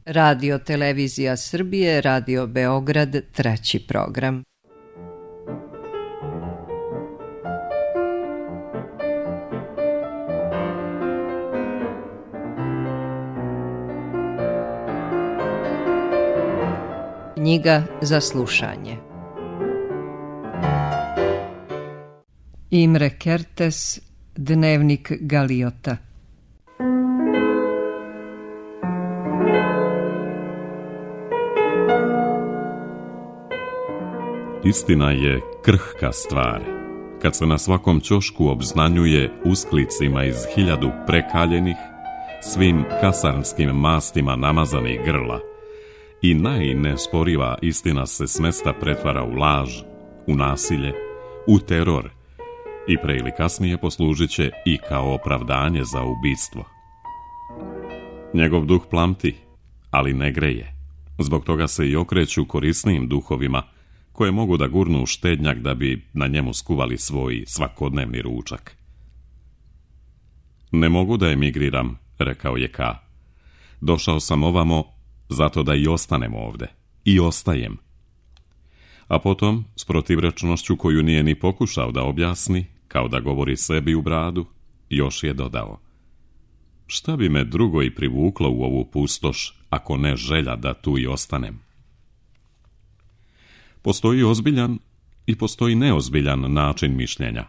Radio Televizija Srbije, Radio Beograd, 3. program. Knjiga za slušanje. Imre Kertész, Dnevnik Galiota. Istina je krhka stvar, kad se na svakom ćošku obznanjuje usklicima iz 1000 prekaljenih, svim kasarnskim mastima namazanih grla, i najnesporiva istina se s mesta pretvara u laž, u nasilje, u teror i pre ili kasnije poslužit će i kao opravdanje za ubistvo. Njegov duh plamti, ali ne greje. Zbog toga se i okreću korisnijim duhovima, koje mogu da gurnu u štednjak da bi na njemu skuvali svoj svakodnevni ručak. Ne mogu da emigriram, rekao je K. Došao sam ovamo zato da i ostanem ovde. I ostajem. A potom, s protivrečnošću koju nije ni pokušao da objasni, kao da govori sebi u bradu, još je dodao: šta bi me drugo i privuklo u ovu pustoš, ako ne želja da tu i ostanem? Postoji ozbiljan i postoji neozbiljan način mišljenja.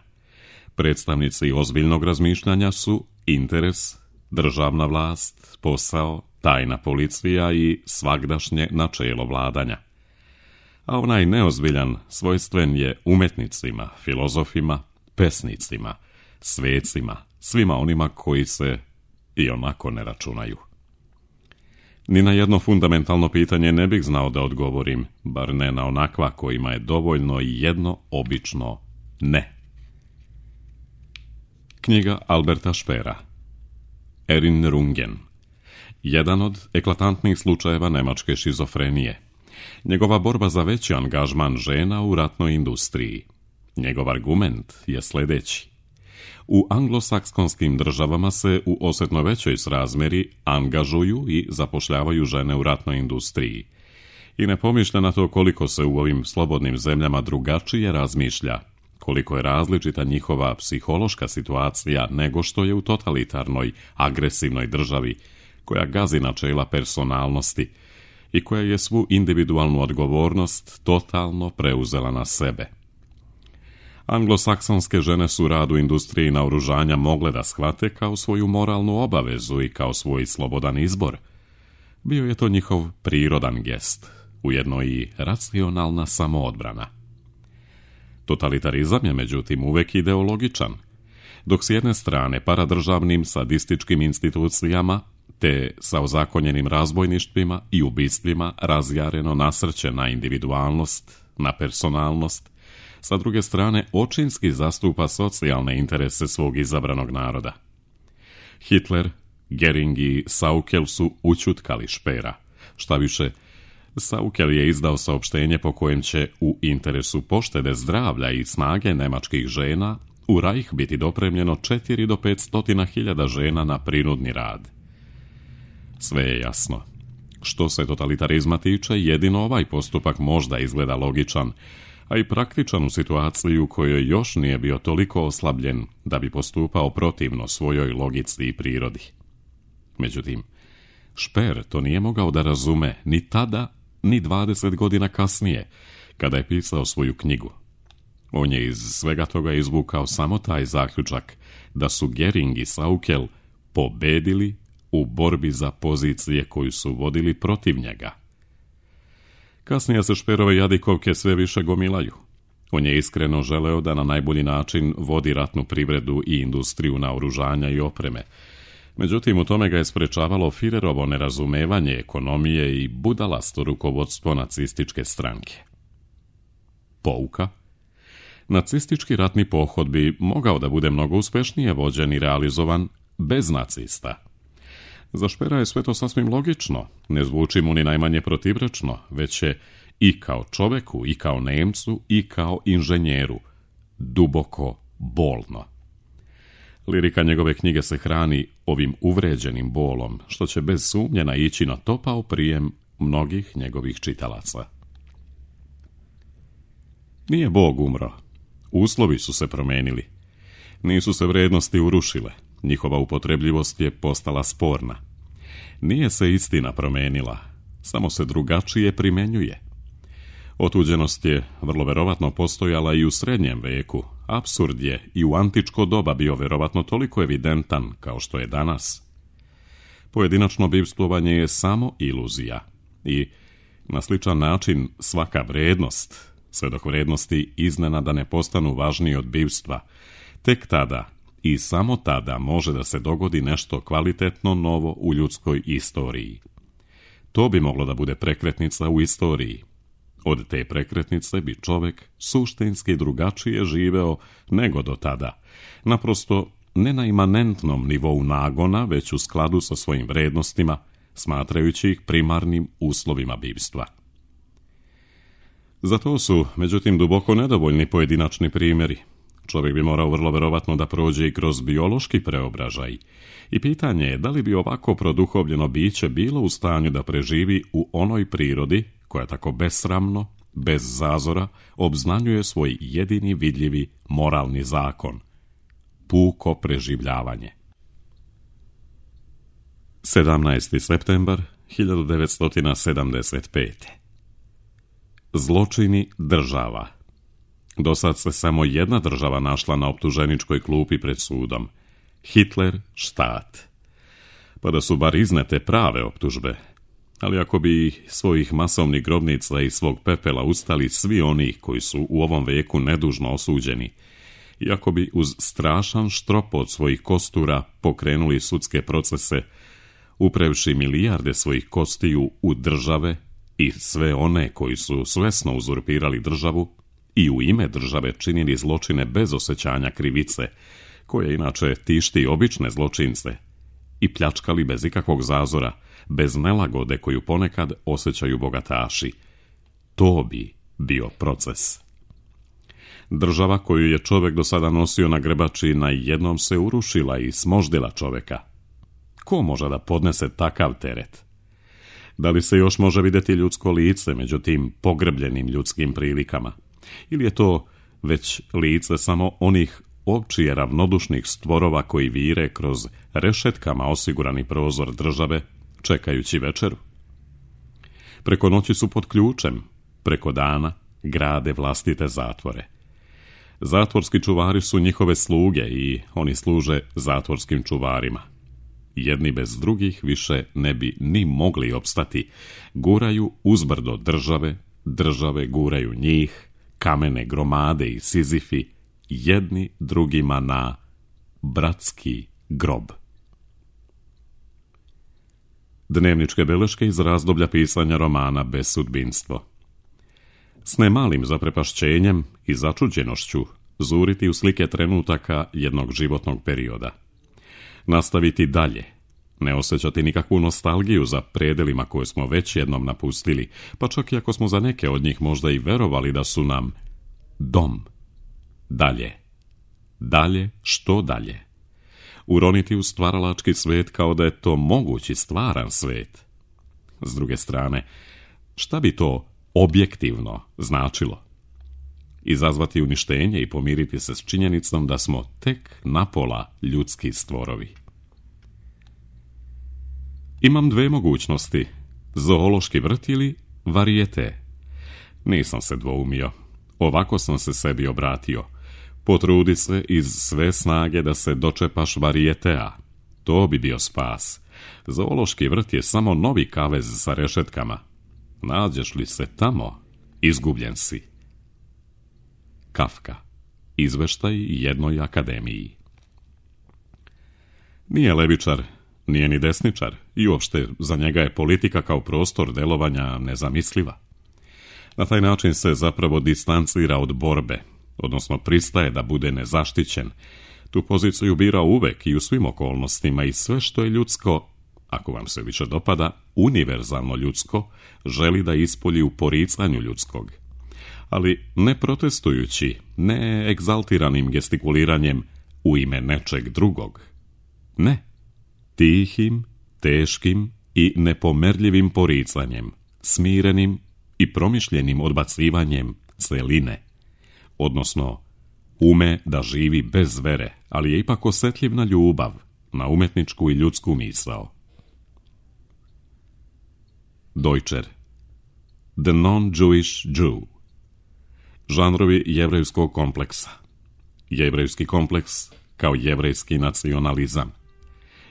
Predstavnici ozbiljnog razmišljanja su interes, državna vlast, posao, tajna policija i svagdašnje načelo vladanja. A onaj neozbiljan svojstven je umetnicima, filozofima, pesnicima, svecima, svima onima koji se i onako ne računaju. Ni na jedno fundamentalno pitanje ne bih znao da odgovorim, bar ne na onakva kojima je dovoljno i jedno obično ne. Knjiga Alberta Speera. Erinnerungen. Jedan od eklatantnih slučajeva nemačke šizofrenije. Njegova borba za veći angažman žena u ratnoj industriji. Njegov argument je sljedeći: u anglosaksonskim državama se u osjetno većoj srazmeri angažuju i zapošljavaju žene u ratnoj industriji. I ne pomišlja na to koliko se u ovim slobodnim zemljama drugačije razmišlja, koliko je različita njihova psihološka situacija nego što je u totalitarnoj, agresivnoj državi koja gazi načela personalnosti i koja je svu individualnu odgovornost totalno preuzela na sebe. Anglosaksonske žene su rad u industriji naoružanja mogle da shvate kao svoju moralnu obavezu i kao svoj slobodan izbor. Bio je to njihov prirodan gest, ujedno i racionalna samoodbrana. Totalitarizam je međutim uvek ideologičan, dok s jedne strane paradržavnim sadističkim institucijama te sa ozakonjenim razbojništvima i ubistvima razjareno nasrće na individualnost, na personalnost, sa druge strane očinski zastupa socijalne interese svog izabranog naroda. Hitler, Göring i Saukel su ućutkali Speera. Šta više, Saukel je izdao saopštenje po kojem će u interesu poštede zdravlja i snage nemačkih žena u Reich biti dopremljeno 4 do 500 hiljada žena na prinudni rad. Sve je jasno. Što se totalitarizma tiče, jedino ovaj postupak možda izgleda logičan, a i praktičan u situaciji u kojoj još nije bio toliko oslabljen da bi postupao protivno svojoj logici i prirodi. Međutim, Speer to nije mogao da razume ni tada, ni 20 godina kasnije, kada je pisao svoju knjigu. On je iz svega toga izvukao samo taj zaključak da su Göring i Saukel pobedili u borbi za pozicije koju su vodili protiv njega. Kasnije se Speerove jadikovke sve više gomilaju. On je iskreno želeo da na najbolji način vodi ratnu privredu i industriju naoružanja i opreme. Međutim, u tome ga je sprečavalo Führerovo nerazumevanje ekonomije i budalasto rukovodstvo nacističke stranke. Pouka: nacistički ratni pohod bi mogao da bude mnogo uspešnije vođen i realizovan bez nacista. Za Speera je sve to sasvim logično, ne zvuči mu ni najmanje protivrečno, već je i kao čoveku, i kao Nemcu, i kao inženjeru duboko bolno. Lirika njegove knjige se hrani ovim uvređenim bolom, što će bez sumnje naići na topao prijem mnogih njegovih čitalaca. Nije Bog umro. Uslovi su se promenili. Nisu se vrednosti urušile. Njihova upotrebljivost je postala sporna. Nije se istina promenila, samo se drugačije primenjuje. Otuđenost je vrlo verovatno postojala i u srednjem veku. Apsurd je i u antičko doba bio verovatno toliko evidentan kao što je danas. Pojedinačno bivstvovanje je samo iluzija i na sličan način svaka vrednost, sve dok vrednosti iznenada ne postanu važniji od bivstva, tek tada i samo tada može da se dogodi nešto kvalitetno novo u ljudskoj istoriji. To bi moglo da bude prekretnica u istoriji. Od te prekretnice bi čovek suštinski drugačije živeo nego do tada. Naprosto ne na imanentnom nivou nagona, već u skladu sa svojim vrednostima, smatrajući ih primarnim uslovima bivstva. Za to su, međutim, duboko nedovoljni pojedinačni primjeri. Čovjek bi morao vrlo verovatno da prođe i kroz biološki preobražaj. I pitanje je da li bi ovako produhovljeno biće bilo u stanju da preživi u onoj prirodi koja tako besramno, bez zazora, obznanjuje svoj jedini vidljivi moralni zakon. Puko preživljavanje. 17. septembar 1975. Zločini država. Dosad se samo jedna država našla na optuženičkoj klupi pred sudom. Hitler, štat. Pa da su bar iznete prave optužbe. Ali ako bi svojih masovnih grobnica i svog pepela ustali svi oni koji su u ovom veku nedužno osuđeni, i ako bi uz strašan štropot svojih kostura pokrenuli sudske procese, uprevši milijarde svojih kostiju u države i sve one koji su svesno uzurpirali državu i u ime države činili zločine bez osjećanja krivice, koje inače tišti obične zločince, i pljačkali bez ikakvog zazora, bez nelagode koju ponekad osjećaju bogataši. To bi bio proces. Država koju je čovjek do sada nosio na grebači najednom se urušila i smoždila čovjeka. Ko može da podnese takav teret? Da li se još može vidjeti ljudsko lice među tim pogrbljenim ljudskim prilikama? Ili je to već lice samo onih općije ravnodušnih stvorova koji vire kroz rešetkama osigurani prozor države, čekajući večeru? Preko noći su pod ključem, preko dana grade vlastite zatvore. Zatvorski čuvari su njihove sluge i oni služe zatvorskim čuvarima. Jedni bez drugih više ne bi ni mogli opstati. Guraju uzbrdo države, države guraju njih, kamene gromade i Sizifi, jedni drugima na bratski grob. Dnevničke beleške iz razdoblja pisanja romana Bezsudbinstvo. S nemalim zaprepašćenjem i začuđenošću zuriti u slike trenutaka jednog životnog perioda. Nastaviti dalje, ne osjećati nikakvu nostalgiju za predelima koje smo već jednom napustili, pa čak i ako smo za neke od njih možda i verovali da su nam dom. Dalje. Dalje, što dalje? Uroniti u stvaralački svet kao da je to mogući stvaran svet. S druge strane, šta bi to objektivno značilo? Izazvati uništenje i pomiriti se s činjenicom da smo tek napola ljudski stvorovi. Imam dve mogućnosti, zoološki vrt ili varijete. Nisam se dvoumio, ovako sam se sebi obratio. Potrudi se iz sve snage da se dočepaš varijetea. To bi bio spas. Zoološki vrt je samo novi kavez sa rešetkama. Nađeš li se tamo, izgubljen si. Kafka. Izveštaj jednoj akademiji. Nije levičar, nije ni desničar i uopšte za njega je politika kao prostor delovanja nezamisliva. Na taj način se zapravo distancira od borbe, odnosno pristaje da bude nezaštićen. Tu poziciju bira uvek i u svim okolnostima i sve što je ljudsko, ako vam se više dopada, univerzalno ljudsko, želi da ispolji u poricanju ljudskog. Ali ne protestujući, ne egzaltiranim gestikuliranjem, u ime nečeg drugog. Ne, tihim, teškim i nepomerljivim poricanjem, smirenim i promišljenim odbacivanjem celine, odnosno ume da živi bez vere, ali je ipak osjetljiv na ljubav, na umetničku i ljudsku misao. Deutscher, the non-Jewish Jew. Žanrovi jevrejskog kompleksa. Jevrejski kompleks kao jevrejski nacionalizam.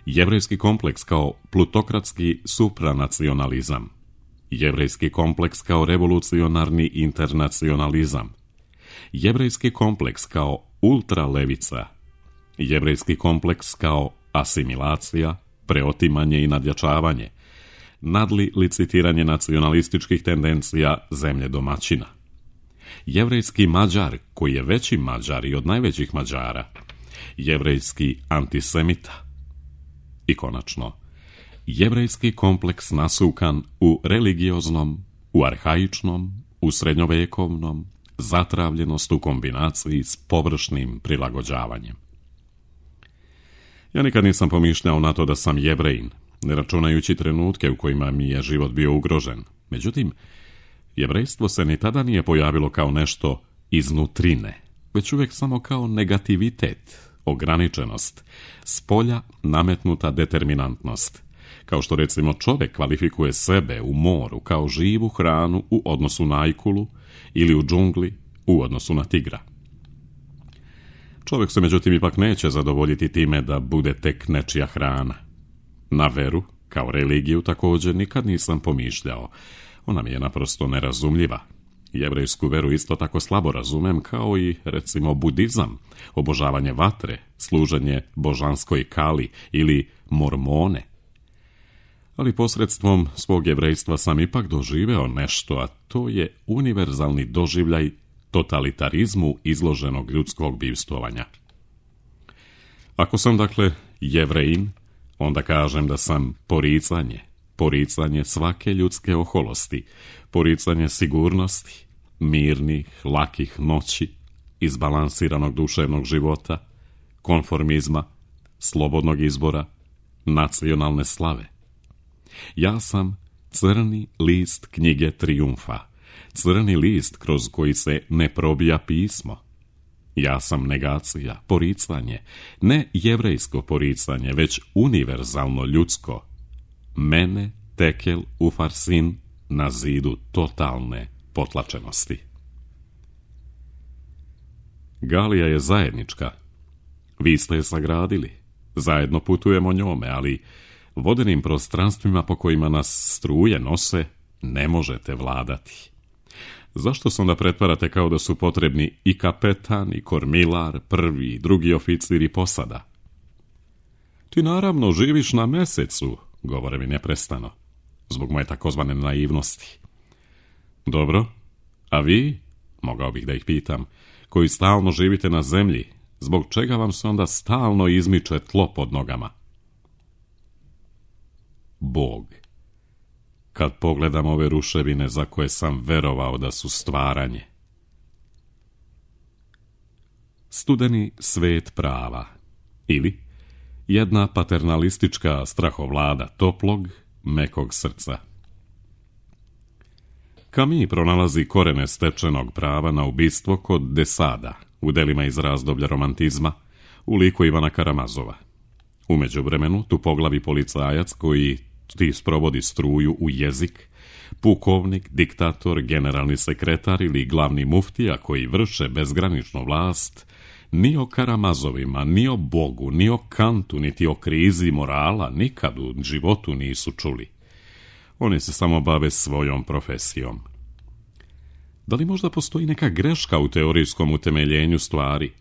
Jevrejski kompleks kao plutokratski supranacionalizam. Jevrejski kompleks kao revolucionarni internacionalizam. Jevrejski kompleks kao ultralevica. Jevrejski kompleks kao asimilacija, preotimanje i nadjačavanje. Nadli licitiranje nacionalističkih tendencija zemlje domaćina. Jevrejski Mađar, koji je veći Mađar i od najvećih Mađara. Jevrejski antisemita. I konačno, jevrejski kompleks nasukan u religioznom, u arhaičnom, u srednjovekovnom, zatravljenost u kombinaciji s površnim prilagođavanjem. Ja nikad nisam pomišljao na to da sam Jevrejin, ne računajući trenutke u kojima mi je život bio ugrožen. Međutim, jevrejstvo se ni tada nije pojavilo kao nešto iznutrine, već uvijek samo kao negativitet, ograničenost, spolja nametnuta determinantnost. Kao što recimo čovjek kvalifikuje sebe u moru kao živu hranu u odnosu na ajkulu ili u džungli u odnosu na tigra. Čovjek se međutim ipak neće zadovoljiti time da bude tek nečija hrana. Na veru, kao religiju, također nikad nisam pomišljao. Ona mi je naprosto nerazumljiva. Jevrejsku veru isto tako slabo razumem kao i, recimo, budizam, obožavanje vatre, služenje božanskoj kali ili mormone. Ali posredstvom svog jevrejstva sam ipak doživeo nešto, a to je univerzalni doživljaj totalitarizmu izloženog ljudskog bivstvovanja. Ako sam, dakle, Jevrejin, onda kažem da sam poricanje svake ljudske oholosti, poricanje sigurnosti, mirnih, lakih noći, izbalansiranog duševnog života, konformizma, slobodnog izbora, nacionalne slave. Ja sam crni list knjige Trijumfa, crni list kroz koji se ne probija pismo. Ja sam negacija, poricanje, ne jevrejsko poricanje, već univerzalno ljudsko. Mene, tekel, ufarsin, na zidu totalne potlačenosti. Galija je zajednička. Vi ste je sagradili. Zajedno putujemo njome, ali vodenim prostranstvima po kojima nas struje nose ne možete vladati. Zašto se onda pretvarate kao da su potrebni i kapetan, i kormilar, prvi i drugi oficir i posada? Ti naravno živiš na mesecu, govore mi neprestano, zbog moje takozvane naivnosti. Dobro, a vi, mogao bih da ih pitam, koji stalno živite na zemlji, zbog čega vam se onda stalno izmiče tlo pod nogama? Bog. Kad pogledam ove ruševine za koje sam verovao da su stvaranje. Studeni svet prava, ili jedna paternalistička strahovlada toplog, mekog srca. Camus pronalazi korene stečenog prava na ubistvo kod de Sada, u delima iz razdoblja romantizma, u liku Ivana Karamazova. U međuvremenu, tu poglavi policajac koji ti sprovodi struju u jezik, pukovnik, diktator, generalni sekretar ili glavni muftija koji vrše bezgraničnu vlast, ni o Karamazovima, ni o Bogu, ni o Kantu, niti o krizi morala nikad u životu nisu čuli. Oni se samo bave svojom profesijom. Da li možda postoji neka greška u teorijskom utemeljenju stvari?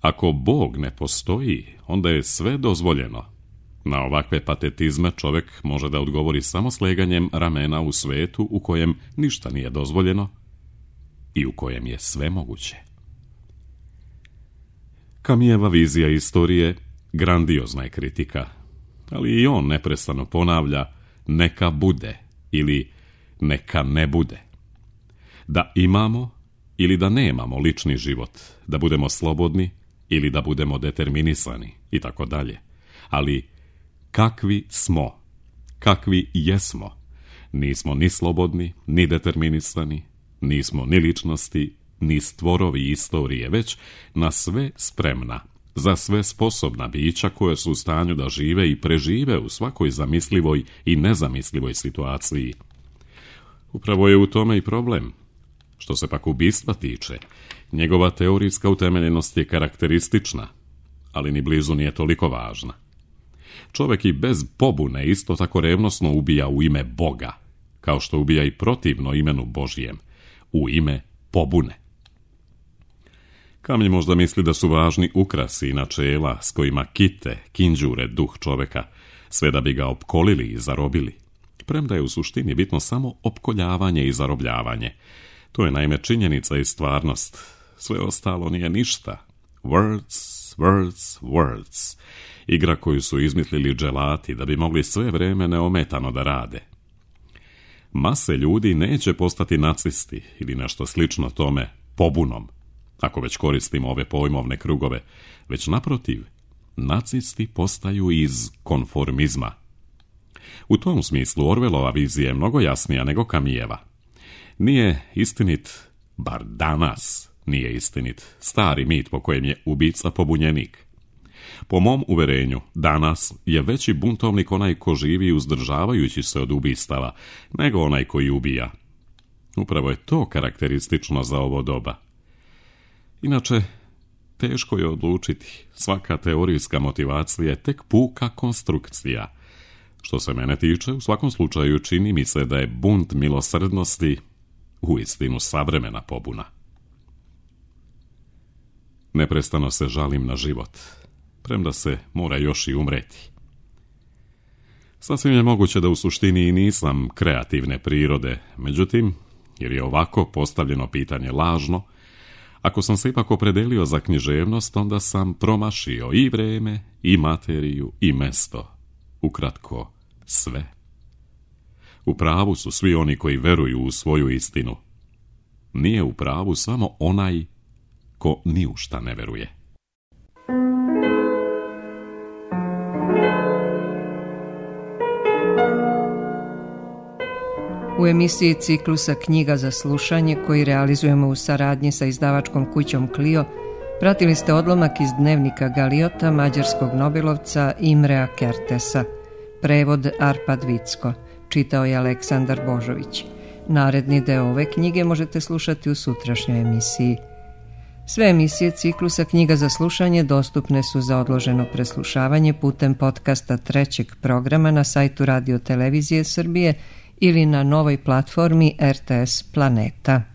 Ako Bog ne postoji, onda je sve dozvoljeno. Na ovakve patetizme čovjek može da odgovori samo sleganjem ramena u svetu u kojem ništa nije dozvoljeno i u kojem je sve moguće. Camusova vizija istorije grandiozna je kritika, ali i on neprestano ponavlja neka bude ili neka ne bude. Da imamo ili da nemamo lični život, da budemo slobodni ili da budemo determinisani i tako dalje. Ali kakvi smo, kakvi jesmo, nismo ni slobodni, ni determinisani, nismo ni ličnosti, ni stvorovi istorije, već na sve spremna, za sve sposobna bića koje su u stanju da žive i prežive u svakoj zamislivoj i nezamislivoj situaciji. Upravo je u tome i problem. Što se pak ubistva tiče, njegova teorijska utemeljenost je karakteristična, ali ni blizu nije toliko važna. Čovjek i bez pobune isto tako revnosno ubija u ime Boga, kao što ubija i protivno imenu Božjem, u ime pobune. Kamlji možda misli da su važni ukrasi i načela s kojima kite, kinđure duh čovjeka, sve da bi ga opkolili i zarobili. Premda je u suštini bitno samo opkoljavanje i zarobljavanje. To je naime činjenica i stvarnost. Sve ostalo nije ništa. Words, words, words. Igra koju su izmislili dželati da bi mogli sve vrijeme neometano da rade. Mase ljudi neće postati nacisti ili nešto slično tome pobunom, ako već koristimo ove pojmovne krugove, već naprotiv, nacisti postaju iz konformizma. U tom smislu Orwellova vizija je mnogo jasnija nego Camus'eva. Nije istinit, bar danas nije istinit, stari mit po kojem je ubica pobunjenik. Po mom uverenju, danas je veći buntovnik onaj ko živi uzdržavajući se od ubistava, nego onaj koji ubija. Upravo je to karakteristično za ovo doba. Inače, teško je odlučiti. Svaka teorijska motivacija je tek puka konstrukcija. Što se mene tiče, u svakom slučaju čini mi se da je bunt milosrdnosti uistinu savremena pobuna. Neprestano se žalim na život, premda se mora još i umreti. Sasvim je moguće da u suštini i nisam kreativne prirode, međutim, jer je ovako postavljeno pitanje lažno, ako sam se ipak opredelio za književnost, onda sam promašio i vreme, i materiju, i mesto. Ukratko, sve. U pravu su svi oni koji veruju u svoju istinu. Nije u pravu samo onaj ko ni u šta ne veruje. U emisiji ciklusa Knjiga za slušanje, koji realizujemo u saradnji sa izdavačkom kućom Clio, pratili ste odlomak iz dnevnika Galiota mađarskog nobelovca Imrea Kertesa. Prevod Arpad Vicko. Čitao je Aleksandar Božović. Naredni deo ove knjige možete slušati u sutrašnjoj emisiji. Sve emisije ciklusa Knjiga za slušanje dostupne su za odloženo preslušavanje putem podcasta trećeg programa na sajtu Radio Televizije Srbije ili na novoj platformi RTS Planeta.